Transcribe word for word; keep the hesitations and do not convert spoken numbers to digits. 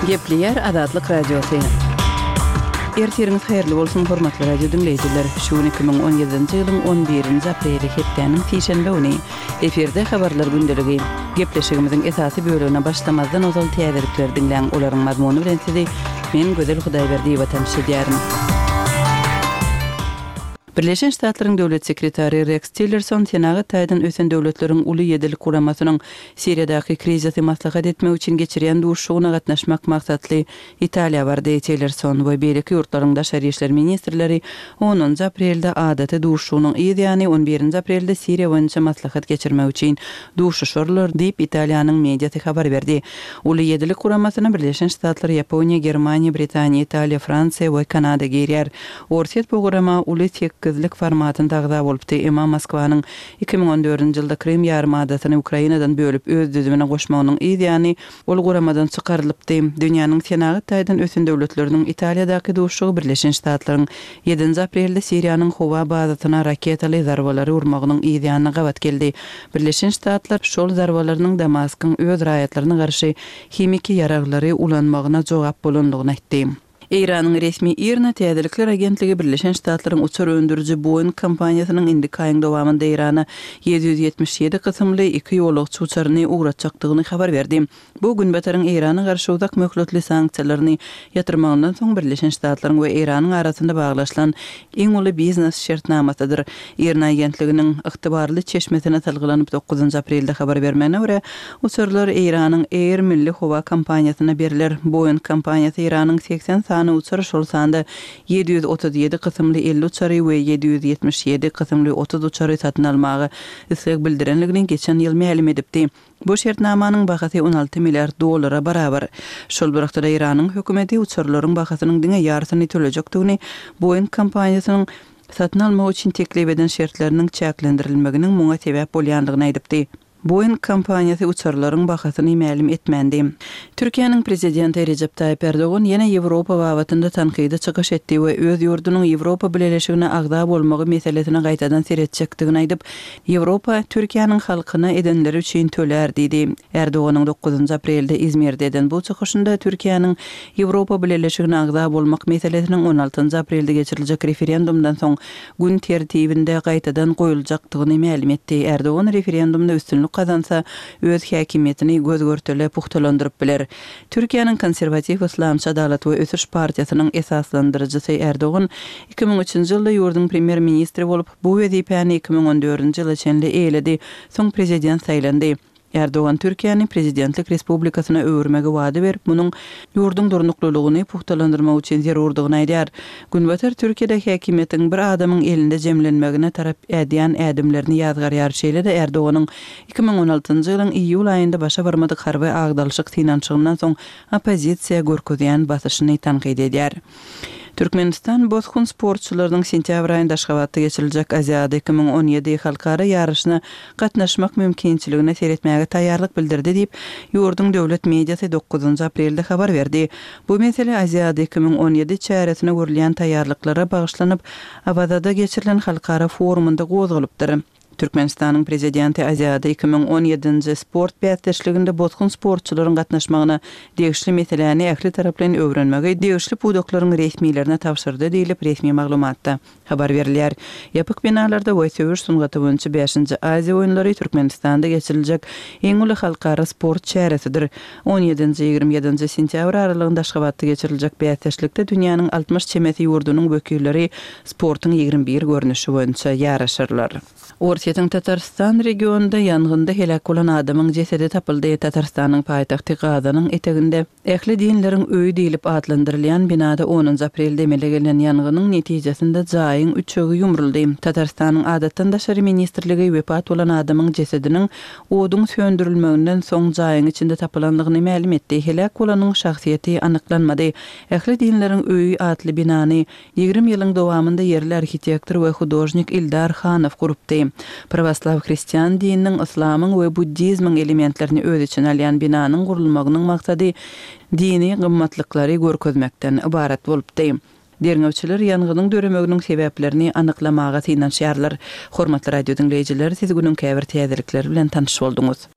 Gepleýär Azatlyk Radiosy. Ertiriňiz haýyrly bolsun, hormatly radio diňleýjiler. Şu gün iki müň on ýedinji ýylyň on birinji apreli, hepdäniň sişenbe güni. Efirde habarlar gündeligi. Gepleşigimiziň esasy bölegine başlamazdan ozal täzelikleri diňläň, olaryň mazmuny bilen sizi men Gözel Hudaýberdiýewa tanyş edýärin. Birleşen Ştatlaryň Döwlet sekretary Reks Tillerson senagat taýdan ösen döwletleriň Uly ýedilik guramasynyň Siriýadaky krizisi maslahat etmek üçin geçirýän duşuşygyna gatnaşmak maksatly Italiýa bardy. Tillerson we beýleki ýurtlaryň daşary işler ministrleri onunjy aprelde adaty duşuşygynyň yz ýany on birinji aprelde Siriýa boýunça maslahat geçirmek üçin duşuşarlar diýip, Italiýanyň mediasy habar berdi. Uly ýedilik guramasyna Birleşen Ştatlar, Ýaponiýa, Germaniýa, Britaniýa, Italiýa, Fransiýa we Kanada girýär. Orsýet bu gurama Uly sekizlik formatynda agza bolupdy, emma Moskwanyň iki müň on dördünji ýylda Krym ýarymadasyny Ukrainadan bölüp öz düzümine goşmagynyň yz ýany ol guramadan çykarylypdy. Dünýäniň senagat taýdan ösen döwletleriniň Italiýadaky duşuşygy Birleşen Ştatlaryň ýedinji aprelde Siriýanyň howa bazasyna raketaly zarbalary urmagynyň yz ýanyna gabat geldi. Birleşen Ştatlar şol zarbalarynyň Damaskyň öz raýatlaryna garşy himiki ýaraglary ulanmagyna jogap bolandygyny aýtdy. Eýranyň resmi IRNA täzelikler agentligi Birleşen Ştatlaryň uçar öndüriji Boeing kompaniýasynyň indiki aýyň dowamynda Eýrana ýedi ýüz ýetmiş ýedi kysymly iki ýolagçy uçaryny ugratjakdygyny habar berdi. Bu Günbataryň Eýrana garşy uzak möhletli sanksiýalaryny ýatyrmagyndan soň Birleşen Ştatlaryň we Eýranyň arasynda baglaşylan iň uly biznes şertnamasydyr. IRNA agentliginiň ygtybarly çeşmesine salgylanyp dokuzynjy aprelde habar bermegine görä, uçarlar Eýranyň Air milli howa kompaniýasyna berler. Boeing kompaniýasy Eýranyň segsen sany uçar, şol sanda ýedi ýüz otuz ýedi kysymly elli uçary we ýedi ýüz ýetmiş ýedi kysymly otuz uçary satyn almaga isleg bildirenligini geçen ýyl mälim edipdi. Bu şertnamanyň bahasy on alty milliard dollara barabar. Şol bir wagtda Eýranyň hökümeti uçarlaryň bahasynyň diňe ýarysyny tölejekdigini, Boeing kompaniýasynyň satyn almak üçin teklip eden şertleriniň çäklendirilmeginiň muňa sebäp bolýandygyny aýdypdy. Boeing kompaniýasy uçarlaryň bahasyny mälim etmändi. Türkiýäniň prezidenti Rejep Taýyp Erdogan ýene Ýewropa babatynda tankydy çykyş etdi we öz ýurdunyň Ýewropa Bileleşigine agza bolmagy meselesine gaýtadan seretjekdigini aýdyp, Ýewropa Türkiýäniň halkyna edenleri üçin tölär diýdi. Erdoganyň dokuzynjy aprelde Izmirde eden bu çykyşynda Türkiýäniň Ýewropa Bileleşigine agza bolmak meselesiniň on altynjy aprelde geçiriljek referendumdan soň gün tertibinde gaýtadan goýuljakdygyny mälim etdi. Erdogan referendumda üstünlik gazansa, öz häkimiýetini göz-görtele pugtalandyryp biler. Türkiýäniň konserwatiw Yslamçy Adalat we Ösüş partiýasynyň esaslandyryjysy Erdogan iki müň üçünji ýylda ýurduň premýer-ministri bolup, bu wezipäni iki müň on dördünji ýyla çenli eýeledi, soň prezident saýlandy. Erdogan Türkiýäni prezidentlik respublikasyna öwürmegi wada berip, munuň ýurduň durnuklylygyny pugtalandyrmak üçin zerurdygyny aýdýar. Günbatar Türkiýede häkimiýetiň bir adamyň elinde jemlenmegine tarap ädýän ädimlerini ýazgarýar. Şeýle-de Erdoganyň iki müň on altynjy ýylyň iýul aýynda başa barmadyk harby agdalyşyk synanyşygyndan soň oppozisiýa görkezýän basyşyny tankyt edýär. Türkmenistan bosgun sportçylarynyň sentýabr aýynda Aşgabatda geçiriljek Aziada iki müň on ýedi halkara ýaryşyna gatnaşmak mümkinçiligine seretmäge taýýarlyk bildirdi diýip, ýurduň döwlet mediasy dokuzynjy aprelde habar berdi. Bu mesele Aziada iki müň on ýedi çäresine görülýän taýýarlyklara bagyşlanyp, Awazada geçirilen halkara forumynda gozgalypdyr. Türkmenistanyň prezidenti Aziada iki müň on ýedinji sport bäsdeşliginde bosgun sportçylaryň gatnaşmagyna degişli meseläni ähli taraplaýyn öwrenmegi degişli pudaklaryň resmilerine tabşyrdy diýlip, resmi maglumatda habar berilýär. Ýapyk binalarda we söweş sungaty boýunça bäşinji Aziýa oýunlary Türkmenistanda geçiriljek iň uly halkara sport çäresidir. On ýedinji, ýigrimi ýedinji sentýabr aralygynda Aşgabatda geçiriljek bäsdeşlikde dünýäniň altmyş çemesi ýurdunyň wekilleri sportuň ýigrimi bir görnüşi boýunça ýaryşarlar. Orsýetiň Tatarystan regionynda ýangynda heläk bolan adamyň jesedi tapyldy. Tatarystanyň paýtagty Gazanyň eteginde ähli dinleriň öýi diýlip atlandyrylýan binada onunjy aprelde emele gelen ýangynyň netijesinde jaýyň üçegi ýumruldy. Tatarystanyň adatdan daşary ministrligi wepat bolan adamyň jesediniň oduň söndürilmeginden soň jaýyň içinde tapylandygyny mälim etdi. Heläk bolanyň şahsyýeti anyklanmady. Ähli dinleriň öýi atly binany ýigrimi ýylyň dowamynda ýerli arhitektor we hudožnik Ildar Hanow gurupdy. Prawoslaw hristian dininiň, yslamyň we buddizmiň elementlerini öz içine alýan binanyň gurulmagynyň maksady dini gymmatlyklary görkezmekden ybarat bolupdy. Derňewçiler ýangynyň döremeginiň sebäplerini anyklamaga synanyşýarlar. Hormatly radio diňleýjiler, siz günüň käbir täzelikleri bilen tanyş bolduňyz.